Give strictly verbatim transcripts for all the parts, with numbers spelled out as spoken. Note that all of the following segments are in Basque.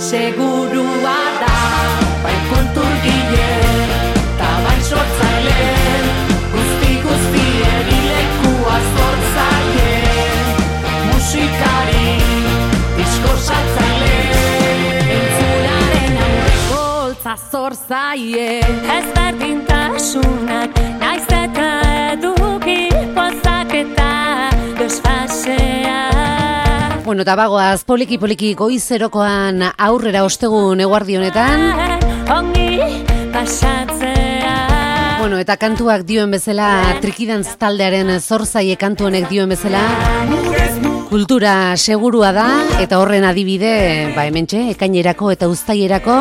segurua da, bai kulturgile, ta bai sortzaile, guzti guztien ilekua sortzaile, musikari, diskortzatzaile, entzularen aurreko holtza zortzaile, ezberdintasunak, naiz eta eduki pozak eta desfasea. Bueno, eta bagoaz, poliki-poliki goizerokoan aurrera ostegun eguardi honetan. Ongi pasatzea. Bueno, eta kantuak dioen bezala, Trikidantz taldearen zorzaie kantu honek dioen bezala, kultura segurua da, eta horren adibide, ba hementxe, ekainerako eta uztaierako,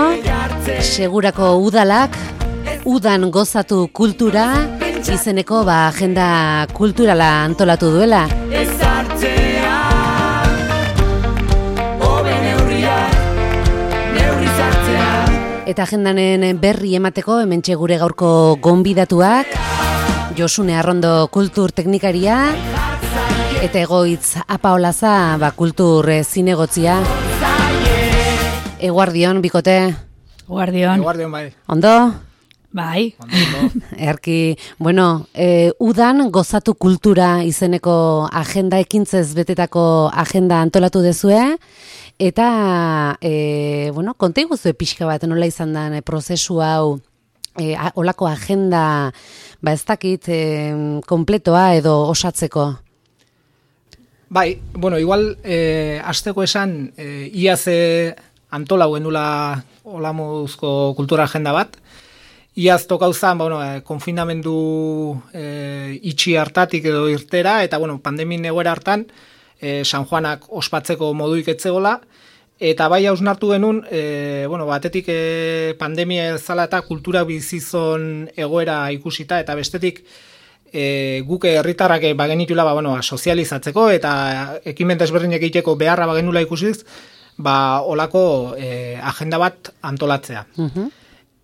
segurako udalak, udan gozatu kultura, izeneko ba agenda kulturala antolatu duela. Eta agendanen berri emateko hementxe gure gaurko gonbidatuak, Josune Arrondo kultur teknikaria, eta Egoitz Apaolaza ba, kultur zinegotzia. Eguardion, bikote? Eguardion. Eguardion, bai. Ondo? Bai. Erki, bueno, e, udan gozatu kultura izeneko agenda ekintzez betetako agenda antolatu dezue, eta, e, bueno, konta iguzue pixka bat nola izan den e, prozesu hau, e, a, olako agenda, ba ez dakit, e, kompletoa edo osatzeko? Bai, bueno, igual, e, azteko esan, e, iaz antolau genula olamuzko kultura agenda bat, iaz tokauzan, bueno, e, konfinamendu e, itxi hartatik edo irtera, eta, bueno, pandemin egoera hartan, E, San Juanak ospatzeko moduik etzegola, eta bai hausnartu genuen, e, bueno, batetik e, pandemia zala eta kultura bizizon egoera ikusita, eta bestetik e, guke herritarrak bagenitula, ba, bueno, sozializatzeko, eta ekimen desberdinak egiteko beharra bagenula ikusiz, ba, olako e, agenda bat antolatzea. Uh-huh.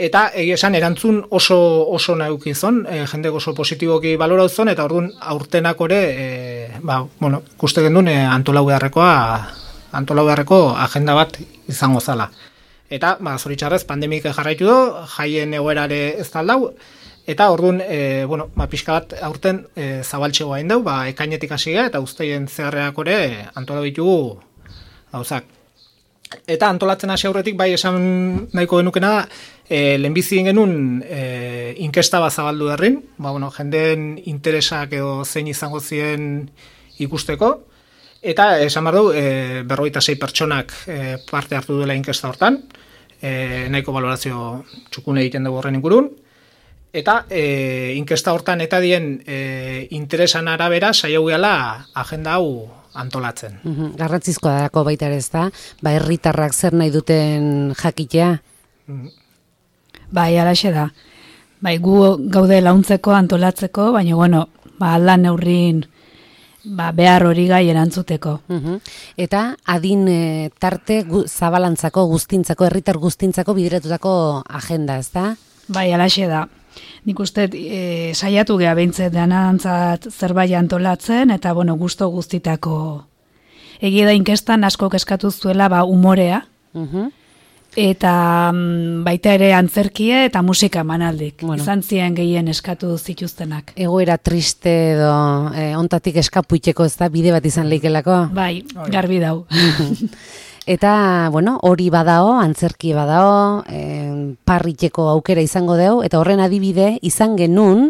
Eta egia esan erantzun oso oso naukizon, e, jende oso positiboki balorauzon, eta orduan aurtenak ore, e, ba, bueno, ikuste gendun e, antolau beharrekoa, antolau beharreko agenda bat izango zala. Eta, ba, zoritxarrez, pandemik jarraitu do, jaien egoerare ez taldau, eta orduan, e, bueno, ba, pixka bat aurten e, zabaltxegoa indau, ba, ekainetik hasiga eta uztaien zeharreak ore antolau ditugu gauzak. Eta antolatzen hasi aurretik bai esan nahiko genukena da, e, lehenbizi genuen e, inkesta bat zabaldu derrin, ba, bueno, jendeen interesak edo zein izango ziren ikusteko, eta esan behar du, e, berrogeita sei pertsonak e, parte hartu duela inkesta hortan, e, nahiko balorazio txukune egiten dugu horren ingurun, eta e, inkesta hortan eta dien e, interesan arabera saiatu gehala agenda hau antolatzen. Uhum, garrantzizkoa dako baita ere ez da, ba herritarrak zer nahi duten jakitea? Uhum. Bai, alaxe da. Bai, gu gaude launtzeko, antolatzeko, baina, bueno, ba, aldan neurrin ba, behar hori gai erantzuteko. Uhum. Eta adin e, tarte gu, zabalantzako, guztintzako, herritar guztintzako bideratutako agenda, ez da? Bai, alaxe da. Nik uste e, saiatu geha behintzet danantzat zerbait antolatzen, eta, bueno, gusto guztitako. Egia da inkestan asko eskatu zuela ba, umorea, uh-huh. eta mm, baita ere antzerkie eta musika emanaldik. Bueno. Izan ziren gehien eskatu zituztenak. Egoera triste edo eh, ontatik eskapuiteko ez da, bide bat izan leikelako? Bai, garbi dau. Eta, bueno, hori badao, antzerki badao, e, parriteko aukera izango deu, eta horren adibide izan genuen,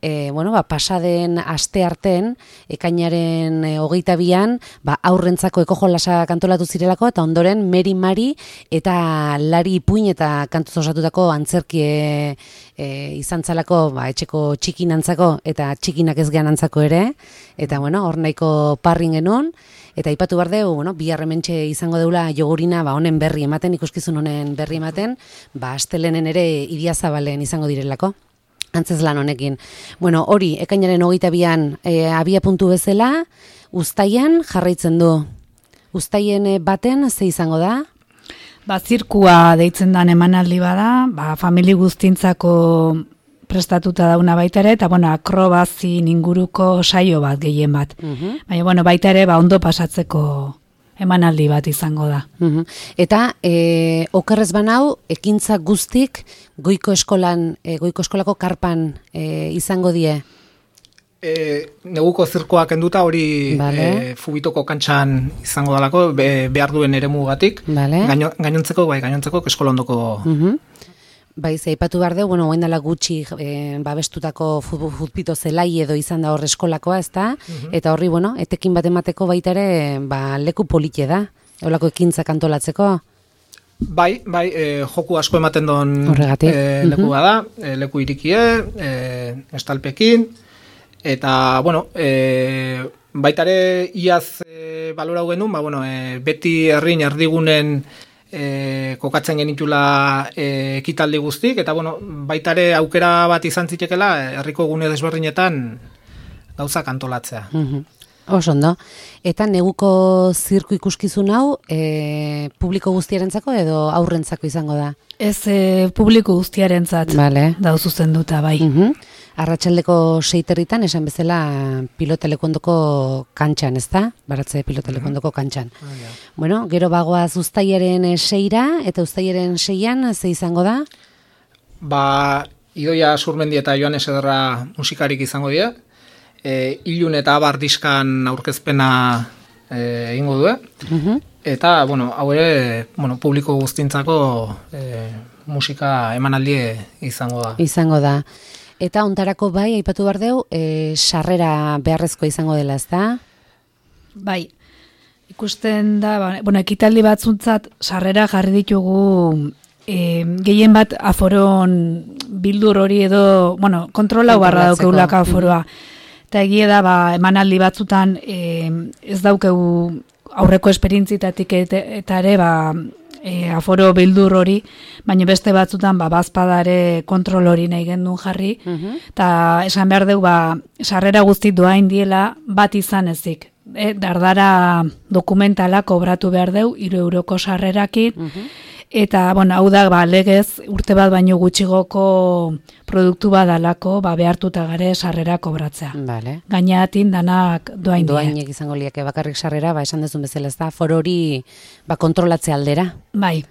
e, bueno, ba, pasaden aste arten, ekainaren e, hogeita bian, ba, aurrentzako eko jolasa kantolatu zirelako, eta ondoren Meri Mari eta Lari Ipuin eta kantuz osatutako antzerki e, e, izan zalako, ba, etxeko txikinantzako eta txikinak ez gehanantzako ere, eta, bueno, hor nahiko parrin genuen, eta ipatu behar dugu, bueno, bihar hementxe izango deula jogurina, ba, honen berri ematen, ikuskizun honen berri ematen, ba, astelenen ere Idiazabalen izango direlako, antzez lan honekin. Bueno, hori, ekainaren hogeita bian e, abia puntu bezala, uztaian jarraitzen du. Uztaien baten, ze izango da? Ba, zirkua deitzen dan emanaldi bada, ba, famili guztintzako prestatuta dauna baita ere, eta bueno, akrobazin inguruko saio bat, gehien bat. Uh-huh. Baina, bueno, baita ere, ba, ondo pasatzeko emanaldi bat izango da. Mhm. Eta e, okerrez banau, ekintza guztik goiko eskolan, e, goiko eskolako karpan e, izango die? E, neguko zirkoak enduta hori Vale. e, Fubitoko kantxan izango dalako, be, behar duen eremugatik. Vale. Gaino, gainontzeko, bai, gainontzeko eskolondoko. Mhm. Bai, ze aipatu behar dugu, bueno, orain dela gutxi e, babestutako futbol futpito zelai edo izan da hor eskolakoa, ezta? Eta horri, bueno, etekin bat emateko baita ere, ba, leku polite da. Eolako ekintzak antolatzeko. Bai, bai, e, joku asko ematen don Horregatik. e, leku Mhm. bada, e, leku irikie, e, estalpekin, eta, bueno, e, baita ere iaz e, balorau genuen, ba, bueno, e, beti herrin erdigunen e, kokatzen genitula e, ekitaldi guztik, eta, bueno, baita ere aukera bat izan zitekela herriko gune desberdinetan gauzak antolatzea. Mhm. Oso ondo. Eta neguko zirku ikuskizun hau, e, publiko guztiarentzako edo aurrentzako izango da? Ez e, publiko guztiarentzat Vale. dau zuzenduta, bai. Mhm. Arratsaldeko seiterritan esan bezala pilotalekondoko kantxan, ezta? Baratze pilotalekondoko kantxan. Bueno, gero bagoaz uztailaren seira eta uztailaren seian ze izango da? Ba, Idoia Zurmendi eta Joanes Ederra musikarik izango dira. E, Ilun eta Abar diskan aurkezpena e, egingo du. Mhm. Eta, bueno, hau ere, bueno, publiko guztintzako e, musika emanaldi izango da. Izango da. Eta ontarako bai, aipatu behar deu, e, sarrera beharrezko izango dela, ezta? Bai, ikusten da, ba, bueno, ekitaldi batzuntzat sarrera jarri ditugu e, gehien bat aforon bildur hori edo, bueno, kontrolau barra Kontrolatzeko. daukeulaka aforoa. Eta egia da, ba, emanaldi batzutan e, ez daukegu aurreko esperintzitatik eta, eta ere, ba, e, aforo bildur hori, baina beste batzutan ba, bazpadare kontrol hori nahi gendun jarri, eta esan behar dugu, ba, sarrera guzti doain diela bat izan ezik. E, dardara dokumentala kobratu behar dugu, hiru euroko sarrerakin, eta, bueno, hau da, ba, legez, urte bat baino gutxigoko produktu badalako, ba, behartuta gare sarrera kobratzea. Vale. Gainatin danak doain die. Doainek izango liake bakarrik sarrera, ba, esan dezun bezala, ezta? For hori ba, kontrolatze aldera. Bai,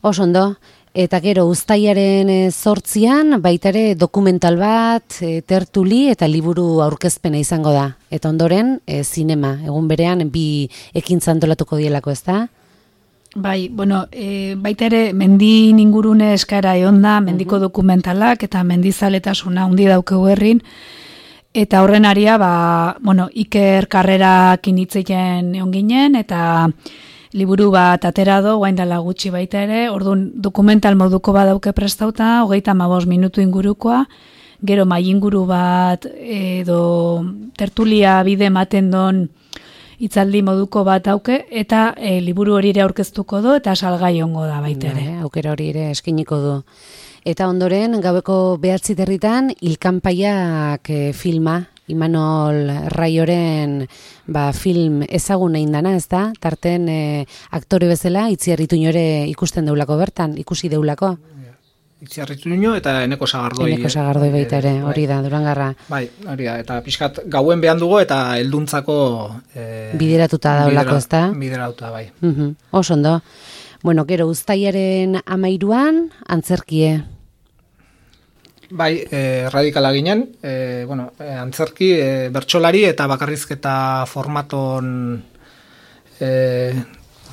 Oso ondo. Eta gero, uztailaren e, zortzian, baitare dokumental bat, e, tertuli eta liburu aurkezpena izango da. Eta ondoren, e, zinema. Egun berean, bi ekintza antolatuko dielako, ezta? bai, bueno, e, baita ere mendi ingurune eskara egon da, mendiko dokumentalak eta mendizaletasuna handi daukegu herrin, eta horren aria, ba, bueno, Iker karrerakin hitzeien egon ginen, eta liburu bat atera do, guain dela gutxi baita ere, orduan dokumental moduko badauke prestauta, hogeita hamabost minutu ingurukoa, gero mai inguru bat edo tertulia bide ematen don hitzaldi moduko bat auke, eta e, liburu hori ere aurkeztuko du, eta salgai ongo da baita ere. Vale, aukera hori ere eskiniko du. Eta ondoren, gaueko behatzi territan, Ilkanpaiak e, filma, Imanol Raioren ba, film ezagun egin dana, ez da? Tarten e, aktore bezala, Itziar Ituñore ikusten deulako bertan, ikusi deulako. Itziarritu nino eta Eneko Sagardoi. Eneko Sagardoi baita ere, hori da, Durangarra. Bai, hori da, eta pixkat gauen behan dugu eta helduntzako e, Bideratuta daulako, ez da? Bideratuta, bai. Mhm, oso ondo. Bueno, gero, uztailaren amairuan, antzerkie. Bai, e, radikala ginen, e, bueno, e, antzerki, e, bertsolari eta bakarrizketa formaton e,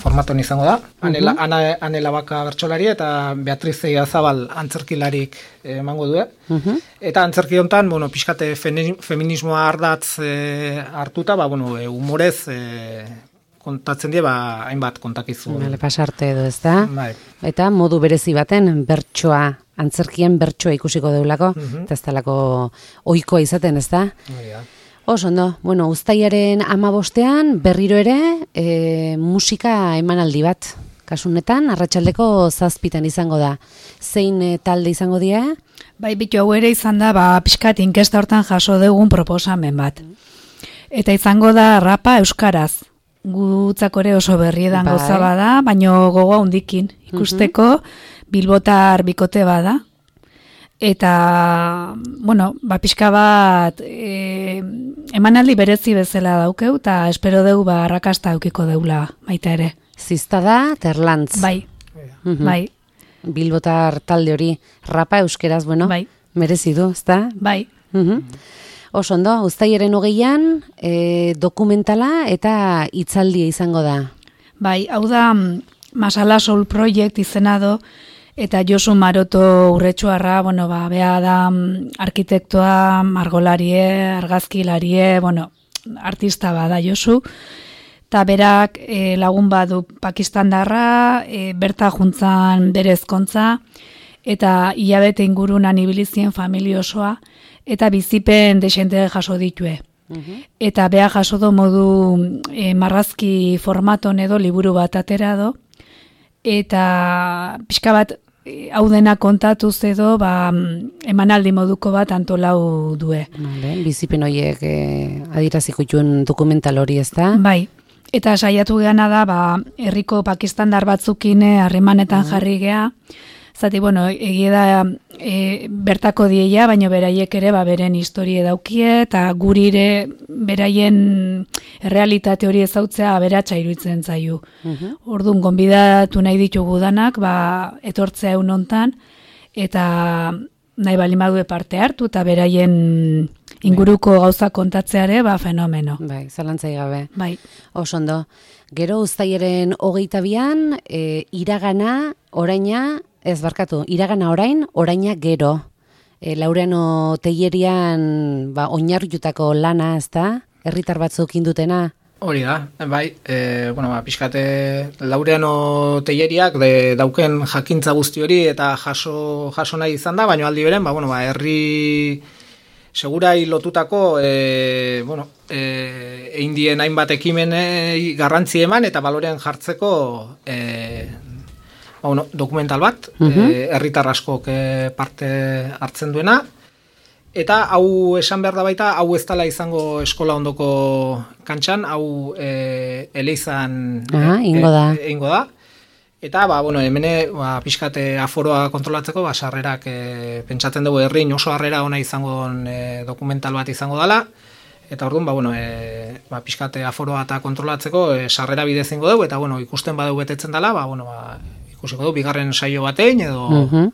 formaton izango da. Anela, ana, Anela Baka bertsolaria eta Beatriz Eiazabal antzerkilarik emango du. Eta antzerki hontan, bueno, pixkate feminismoa ardatz e, hartuta, ba, bueno, e, humorez e, kontatzen die, ba, hainbat kontakizu. Bale, pasarte edo, ez da? Bai. Eta modu berezi baten bertsoa, antzerkien bertsoa ikusiko deulako, eta ez talako ohikoa izaten, ez da? Bai, ja. Oso ondo, bueno, uztailaren amabostean berriro ere e, musika emanaldi bat. Kasunetan, arratsaldeko zazpitan izango da. Zein e, talde izango dira? Bai, bitu hau ere izan da, ba, pixkat inkesta hortan jaso dugun proposamen bat. Eta izango da rapa euskaraz. Gutzak ere oso berriedan Bai. gauza bada, baino gogoa hundikin ikusteko bilbotar bikote bada. eta, bueno, ba, pixka bat e, emanaldi berezi bezala daukeu, eta espero deu ba, arrakasta eukiko deula baita ere. Ziztada Terlantz. Bai, Mhm. bai, Bilbotar talde hori, rapa euskeraz, bueno, bai, merezi du, ezta? bai. Mhm. Oso ondo, uztailaren hogeian e, dokumentala eta hitzaldia izango da. Bai, hau da mm, Masala Soul Project izena do, eta Josu Maroto urretxuarra, bueno, ba, bea da mm, arkitektoa, margolarie, argazkilarie, bueno, artista bada Josu, eta berak e, lagun badu Pakistandarra, e, berta juntzan bere ezkontza, eta hilabete ingurunan ibilizien familia osoa, eta bizipen desente jaso ditue. Eta beha jaso do modu e, marrazki formaton edo liburu bat atera do, eta pixka bat e, hau dena kontatuz edo ba, emanaldi moduko bat antolau due. Vale, bizipen horiek e, adiraziko juen dokumental hori, ezta? Bai, eta saiatu geana da, ba, herriko pakistandar batzukine harremanetan jarri gea, zati, bueno, egie da e, bertako dieia, baina beraiek ere ba, beren historie daukie, eta guri ere beraien errealitate hori ezautzea aberatsa iruditzen zaio. Mhm. Orduan, gonbidatu nahi ditugu danak, ba, etortzea egun hontan, eta nahi bali badue parte hartu, eta beraien inguruko gauza kontatzeare, ba, fenomeno. Bai, zalantzai gabe. Bai, Oso ondo. Gero uztailaren hogeita bian, e, iragana, oraina, ez barkatu, iragana orain, oraina gero. E, Laureano Tellerian ba, oinarritutako lana, ez da? Herritar batzuk indutena. Hori da, bai, e, bueno, ba, pixkate Laureano Telleriak de, dauken jakintza guzti hori eta jaso, jaso nahi izan da, baina aldi beren, ba, bueno, ba, herri segurai lotutako e, bueno, e, eindien hainbat ekimenei garrantzi eman eta balorean jartzeko e, ba, bueno, dokumental bat, Mhm. e, herritar askok e, parte hartzen duena. Eta hau esan behar da baita, hau ez dela izango eskola ondoko kantxan, hau e, eleizan Ah, ingo da. E, ingo da. Eta, ba, bueno, hemene, ba, pixkate aforoa kontrolatzeko, ba, sarrerak e, pentsatzen dugu herrin oso harrera ona izango e, dokumental bat izango dela. Eta orduan, ba, bueno, e, ba, pixkate aforoa eta kontrolatzeko e, sarrera bidez ingo dugu, eta, bueno, ikusten badeu betetzen dela, ba, bueno, ba, ikusiko dugu, bigarren saio batein, edo... Mhm.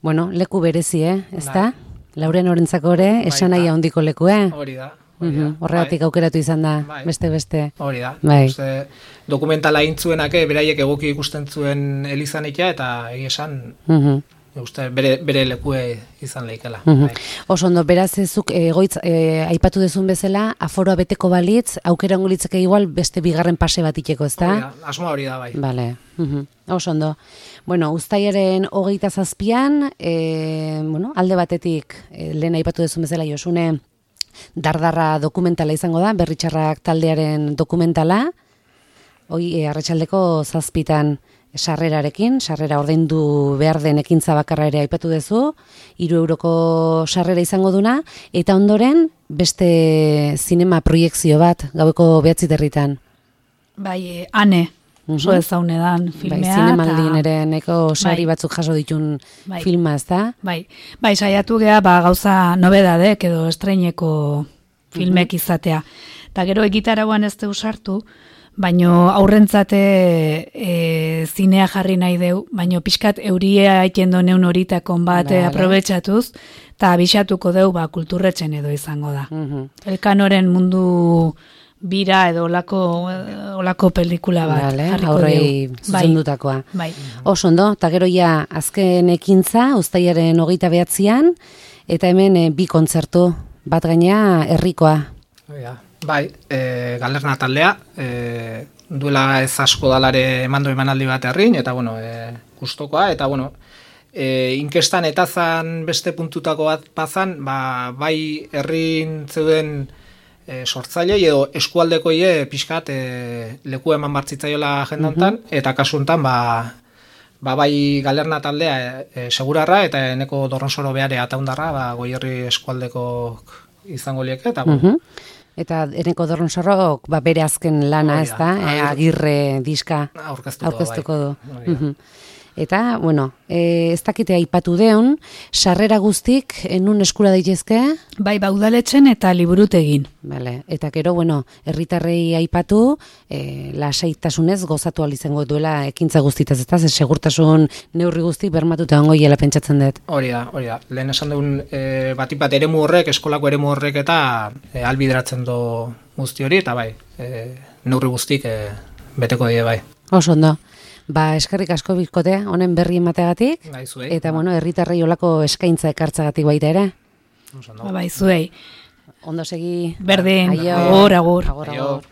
Bueno, leku berezi, eh? Ez da? Lauren orentzako ere, esan nahi handiko leku, eh? Hori da. Hori da. Mhm. Horregatik aukeratu izan da, Bai. beste-beste. Hori da. Bai. Uste, dokumentala intzuenak beraiek egoki ikusten zuen elizanikia eta egia esan Mhm. uste bere, bere lekue izan leikela. Mhm. Bai. Oso ondo, beraz ezuk egoitz e, aipatu dezun bezala, aforoa beteko balitz, aukera ongo litzake igual beste bigarren pase bat iteko, ez Hori da? da, asmoa hori da, bai. Bale, mhm. Oso ondo. Bueno, uztailaren hogeita zazpian, e, bueno, alde batetik, e, lehen aipatu dezun bezala Josune, dardarra dokumentala izango da, Berritxarrak taldearen dokumentala, hoi e, arratsaldeko zazpitan sarrerarekin, sarrera ordaindu behar den ekintza bakarra ere aipatu duzu, hiru euroko sarrera izango duna, eta ondoren beste zinema proiekzio bat, gaueko behatzi territan. bai, e, ane, oso Mhm. ezaunedan Bai, filmea. zinemaldin eta- ere neko sari Bai. batzuk jaso ditun Bai. filma, ez da? Bai, bai, saiatu gea, ba, gauza nobedadek edo estreineko filmek izatea. Eta gero egitarauan ez deu sartu, baino aurrentzate e, zinea jarri nahi deu, baino pixkat euria aiten neun horitakon bat Vale. e, aprobetxatuz, eta abixatuko deu, ba, kulturretzen edo izango da. Mhm. Elkanoren mundu bira edo olako, olako pelikula bat Vale, jarriko aurrei deu. zuzendutakoa. Bai, Oso ondo, eta gero ja azken ekintza, uztailaren hogeita behatzian, eta hemen e, bi kontzertu, bat gaina herrikoa. Hori da. Bai, e, galerna taldea, e, duela ez asko dalare emando emanaldi bat herrin, eta, bueno, e, gustokoa, eta, bueno, e, inkestan eta zan beste puntutako bat pazan, ba, bai herrin zeuden e, sortzailei edo eskualdekoie pixkat e, leku eman bartzitzaiola jendantan, eta kasu honetan, ba, ba, bai galerna taldea e, e, segurarra, eta eneko dorronsoro behare ataundarra, ba, goierri eskualdeko izango lieke, eta, bueno, Mhm. Eta Eneko Dorronsorrok ba, bere azken lana, Hori ez da. da? E, Agir- agirre diska aurkeztuko, aurkeztuko du. bai. Hori da. Mhm. Eta, bueno, e, ez dakite aipatu deun, sarrera guztik enun eskura daitezke? Bai, baudaletxen eta liburutegin. Vale. Eta gero, bueno, herritarrei aipatu, e, lasaitasunez gozatu ahal izango duela ekintza guztitaz, ezta? Ze segurtasun neurri guzti bermatuta ongo hiela pentsatzen dut. Hori da, hori da. Lehen esan dugun e, batik bat eremu horrek, eskolako eremu horrek eta e, albideratzen do guzti hori, eta bai, e, neurri guztik e, beteko die bai. Oso ondo. Ba, eskerrik asko bikote, honen berri emateagatik, Bai, zuei. eta, bueno, herritarrei olako eskaintza ekartzagatik baita ere. Oso ondo. Ba, bai, zuei. Ondo segi. Berdin, Aio. agur, agur. Agur, Aio. agur.